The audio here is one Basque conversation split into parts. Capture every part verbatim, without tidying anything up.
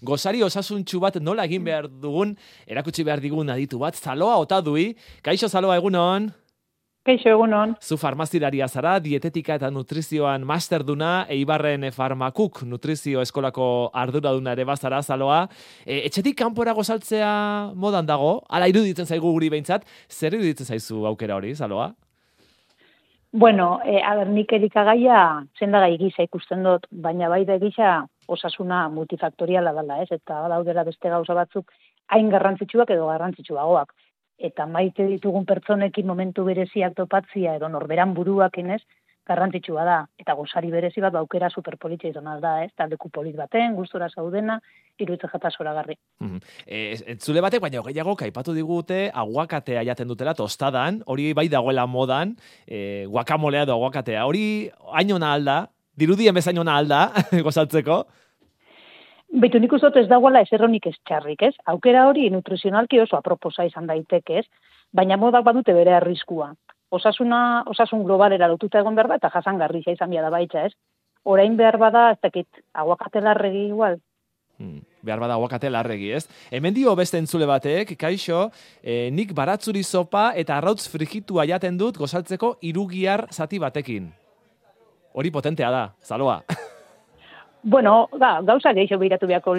gozari osasuntxu bat nola egin behar dugun, erakutsi behar digun aditu bat, Zaloa Otadui. Kaixo Zaloa, egunon? Kaixo, egunon. Zu farmazilaria zara, dietetika eta nutrizioan masterduna, Eibarren Farmakuk nutrizio eskolako arduraduna ere bazara, Zaloa. E, etxetik kanpora gozaltzea modan dago, ala iruditzen zaigu guri behintzat, zer iruditzen zaizu aukera hori, Zaloa? Bueno, e, aber, nik elikagaia zendagai gisa ikusten dut, baina bai da gisa osasuna multifaktoriala dela, ez? Eta daudela beste gauza batzuk hain garrantzitsuak edo garrantzitsuagoak. Eta maite ditugun pertsonekin momentu bereziak topatzia edo norberan buruak inez, garrantzitsua da. Eta gozari berezi bat baukera superpolitza izan da, ez? Taldeku polit baten, gustora zaudena, iruditzen jata zoragarri. Mm-hmm. E, entzule batek, baina gehiago kaipatu digute, aguakatea jaten dutela tostadan, hori bai dagoela modan, e, guakamolea edo aguakatea. Hori hainona alda, dirudien bezainona alda, gozaltzeko? Beitu nik uzot ez dagoela eserronik ez txarrik, ez? Aukera hori nutrizionalki oso aproposa izan daiteke, ez? Baina modak badute bere arriskua. Osasuna, osasun globalera lotuta egon behar da, eta jasangarria izan bia da baitza, ez? Orain behar bada, ez dakit, aguakate larregi igual. Hmm, behar bada aguakate larregi, ez? Hemen dio beste entzule batek, kaixo, eh, nik baratzuri sopa eta arrautz frijitua jaten dut gozaltzeko irugiar zati batekin. Hori potentea da, Zaloa. Bueno, da, gauza gehiago behiratu beharko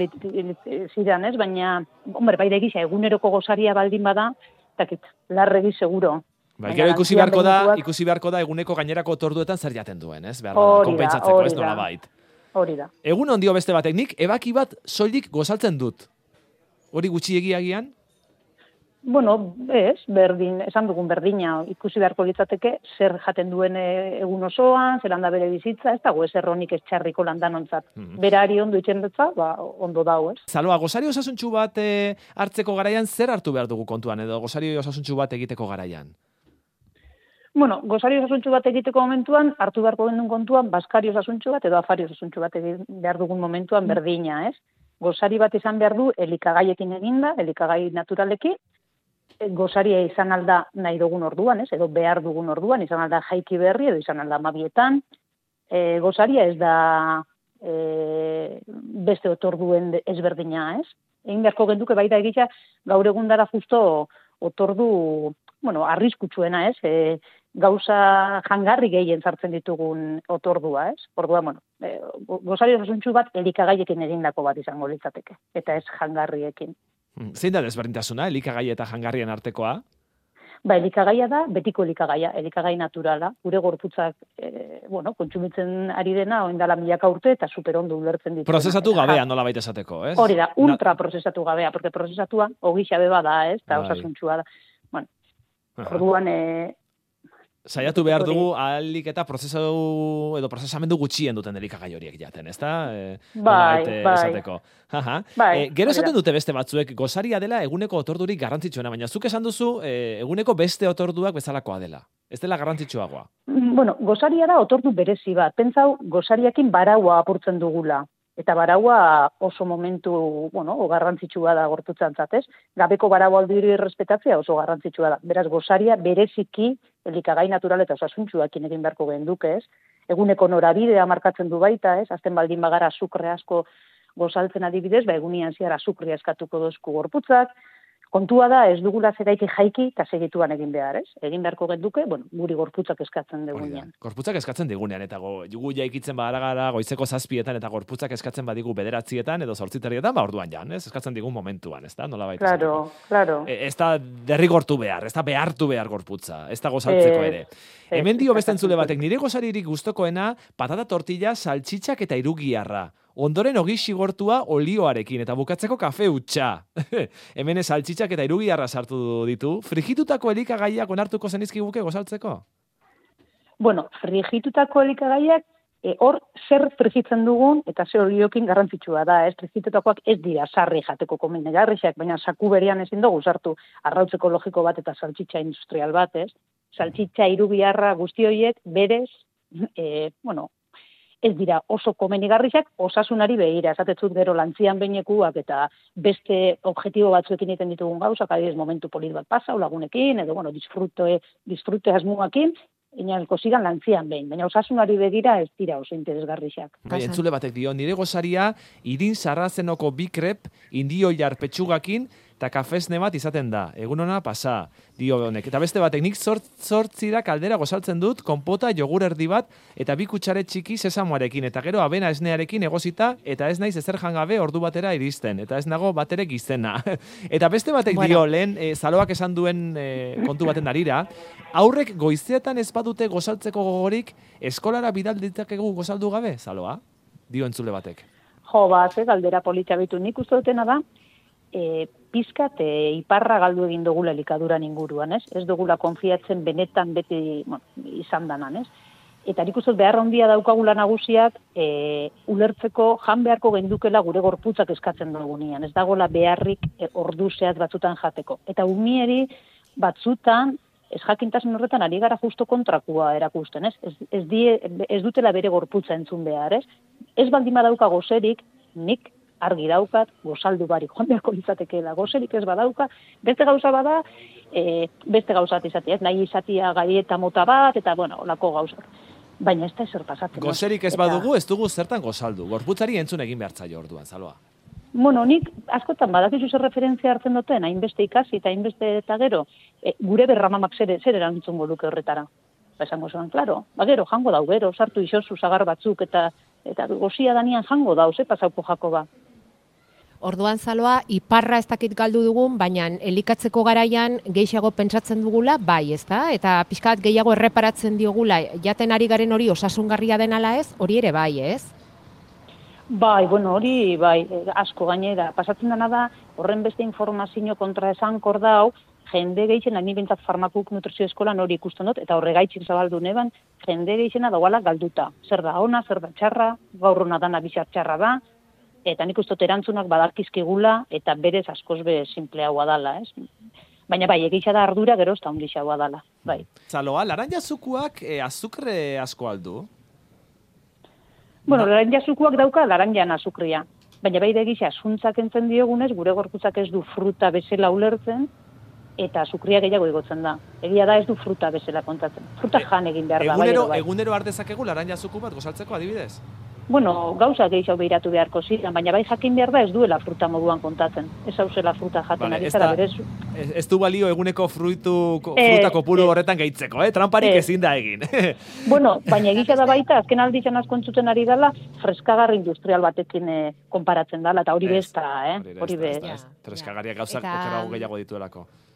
zidan, ez? Baina, hombre, bai da egisa, eguneroko gozaria baldin bada, dakit, larregi seguro. Bai, gero ikusi beharko da, ikusi beharko da eguneko gainerako otorduetan zer jaten duen, ez? Behar da, konpentsatzeko, ez nola bait. Hori da. Egun ondio beste batek, nik ebaki bat soilik gozaltzen dut. Hori gutxiegiagian? Bueno, ez, berdin, esan dugun berdina, ikusi beharko litzateke, zer jaten duen egun osoan, zer handa bere bizitza, ez dago ez erronik ez txarriko landanontzat. Mm-hmm. Berari ondo itxendetza, ba, ondo dau, ez? Zaloa, gozari osasuntxu bat e, hartzeko garaian, zer hartu behar dugu kontuan, edo gozari osasuntxu bat egiteko garaian? Bueno, gozari osasuntxu bat egiteko momentuan, hartu beharko gendun kontuan, baskari osasuntxu bat edo afari osasuntxu bat egin behar dugun momentuan berdina, ez? Gozari bat izan behar du elikagaiekin eginda, elikagai naturalekin, gozaria izan alda nahi dugun orduan, ez? Edo behar dugun orduan, izan alda jaiki berri, edo izan alda mabietan. E, gozaria ez da e, beste otorduen ezberdina, ez? Egin beharko genduke baita egitza, gaur egundara justo otordu, bueno, arriskutsuena, ez? E, gauza jangarri gehien sartzen ditugun otordua, ez? Ordua, bueno, e, gozaria osasuntsu bat elikagaiekin egindako bat izango litzateke, eta ez jangarriekin. Zein da desberdintasuna, elikagai eta jangarrien artekoa? Ba, elikagaia da, betiko elikagaia, elikagai naturala. Gure gorputzak, e, bueno, kontsumitzen ari dena, oindala milaka urte, eta superondo ulertzen ditu. Prozesatu gabea, nola baita esateko, ez? Hori da, ultra prozesatu gabea, porque prozesatua, ogixa beba da, ez? Eta osasuntxua da. Bueno, orduan, e, saiatu behar dugu ahalik eta prozesatu edo prozesamendu gutxien duten elikagai horiek jaten, ezta? E, bai, bai. Esateko. Aha. Bai, e, gero esaten dute beste batzuek, gozaria dela eguneko otordurik garrantzitsuena, baina zuk esan duzu e, eguneko beste otorduak bezalakoa dela. Ez dela garrantzitsuagoa. Bueno, gozaria da otordu berezi bat. Pentsau, gozariakin baraua apurtzen dugula. Eta baraua oso momentu, bueno, o garrantzitsua da gorputzantzat, ez? Gabeko baraua aldiri errespetatzea oso garrantzitsua da. Beraz, gozaria bereziki elikagai natural eta osasuntsuakin egin beharko genduke, ez? Eguneko norabidea markatzen du baita, ez? Azten baldin bagara azukre asko gozaltzen adibidez, ba egunean ziara azukria eskatuko dozku gorputzak. Kontua da, ez dugula zeraiki jaiki eta segituan egin behar, ez? Egin beharko genduke, bueno, guri gorputzak eskatzen digunean. Gorputzak eskatzen digunean, eta go, gu jaikitzen badara gara goizeko zazpietan, eta gorputzak eskatzen badigu bederatzietan edo zortziterrietan, ba orduan jan, ez? Eskatzen digun momentuan, ez da? Nola baita. Claro, claro. E, ez da derrigortu behar, ez da behartu behar gorputza, ez da gozaltzeko ere. E, Hemen dio beste entzule batek, nire gozaririk gustokoena patata tortilla, saltxitxak eta irugiarra. Ondoren ogi xigortua olioarekin, eta bukatzeko kafe utxa. Hemen saltxitxak eta irugiarra sartu ditu. Frigitutako elikagaiak onartuko zenizkiguke gozaltzeko? Bueno, frigitutako elikagaiak, e, hor zer frigitzen dugun, eta zer oliokin garrantzitsua da, ez? Frigitutakoak ez dira sarri jateko komenegarrixak, baina saku berean ezin dugu sartu arrautz ekologiko bat eta saltxitxa industrial bat, ez? Saltxitxa, irugiarra, guzti horiek berez, e, bueno, ez dira oso komenigarriak osasunari behira, esatetzut gero lantzian behinekuak eta beste objektibo batzuekin egiten ditugun gauzak, adibidez momentu polit bat pasa, lagunekin, edo bueno, disfrute, disfrute asmuakin, inalko zigan lantzian behin, baina osasunari begira ez dira oso interesgarrixak. Bai, entzule batek dio, nire gozaria, irin sarrazenoko bikrep, indio jar petxugakin, eta kafesne bat izaten da. Egun ona pasa, dio honek. Eta beste batek, nik zort, zortzira kaldera gozaltzen dut, konpota, jogur erdi bat, eta bi kutsare txiki sesamoarekin, eta gero abena esnearekin egozita, eta ez naiz ezer jangabe ordu batera iristen, eta ez nago batere gizena. Eta beste batek bueno. dio, lehen, e, zaloak esan duen e, kontu baten darira, aurrek goizeetan ez badute gozaltzeko gogorik, eskolara bidal ditakegu gozaldu gabe, zaloa? Dio entzule batek. Jo, ba, ze galdera polita bitu, nik uste dutena da, e, pizkat e, iparra galdu egin dugula elikaduran inguruan, ez? Ez dugula konfiatzen benetan beti bueno, izan danan, ez? Eta nik uste behar handia daukagula nagusiak e, ulertzeko jan beharko gendukela gure gorputzak eskatzen dugunean. Ez dagoela beharrik e, ordu zehat batzutan jateko. Eta umieri batzutan, ez jakintasun horretan ari gara justo kontrakua erakusten, ez? Ez, ez, die, ez dutela bere gorputza entzun behar, ez? Ez baldin badauka gozerik, nik argi daukat, gozaldu barik, joan beharko litzatekeela, gozerik ez badauka, beste gauza bada, e, beste gauzat izatea, ez nahi izatea gaieta mota bat, eta bueno, olako gauzak. Baina ez da ezer pasatzen. Gozerik ez eta... badugu, ez dugu zertan gozaldu, gorputzari entzun egin behartzaio orduan, Zaloa. Bueno, nik askotan badakizu zer referentzia hartzen duten, hainbeste ikasi eta hainbeste eta gero, e, gure berramamak zer, zer erantzungo luke horretara. Ba, esango zuen, klaro, ba, gero, jango dau, gero, sartu isozu zagar batzuk, eta eta gozia danian jango dauz, eh, pasauko jako ba. Orduan Zaloa, iparra ez dakit galdu dugun, baina elikatzeko garaian gehiago pentsatzen dugula, bai, ezta? Eta pixkat gehiago erreparatzen diogula, jaten ari garen hori osasungarria den ala ez, hori ere bai, ez? Bai, bueno, hori, bai, asko gainera. Pasatzen dena da, horren beste informazio kontra esan kordau, jende gehixen, ni bintzat farmakuk nutrizio eskolan hori ikusten dut, eta horregaitxik zabaldu neban, jende gehixena dagoala galduta. Zer da ona, zer da txarra, gaurrona dana bizar txarra da, eta nik uste erantzunak badakizkigula, eta berez askoz be simpleagoa dala, ez? Baina bai, egitza da ardura gero ez da ondixagoa dala, bai. Zaloa, laranja zukuak e, azukre asko aldu? Bueno, ba... laranja zukuak dauka laranjan azukria. Baina bai egitza, zuntzak entzen diogunez, gure gorputzak ez du fruta bezala ulertzen, eta azukria gehiago igotzen da. Egia da ez du fruta bezala kontatzen. Fruta jan egin behar da. Egunero, bai, bai. egunero ardezakegu laranja zuku bat gozaltzeko adibidez? Bueno, gauza gehiago behiratu beharko ziren, baina bai jakin behar da ez duela fruta moduan kontatzen. Ez hauzela fruta jaten vale, ari zara berez. Ez, ez du balio eguneko fruitu, fruta kopuru eh, horretan gehitzeko, eh? Tramparik eh. ezin da egin. Bueno, baina egitza da baita, azken aldizan asko entzuten ari dela, freskagar industrial batekin eh, konparatzen dela, eta hori besta, eh? Hori be. Freskagarriak gauzak eta... okerago gehiago dituelako.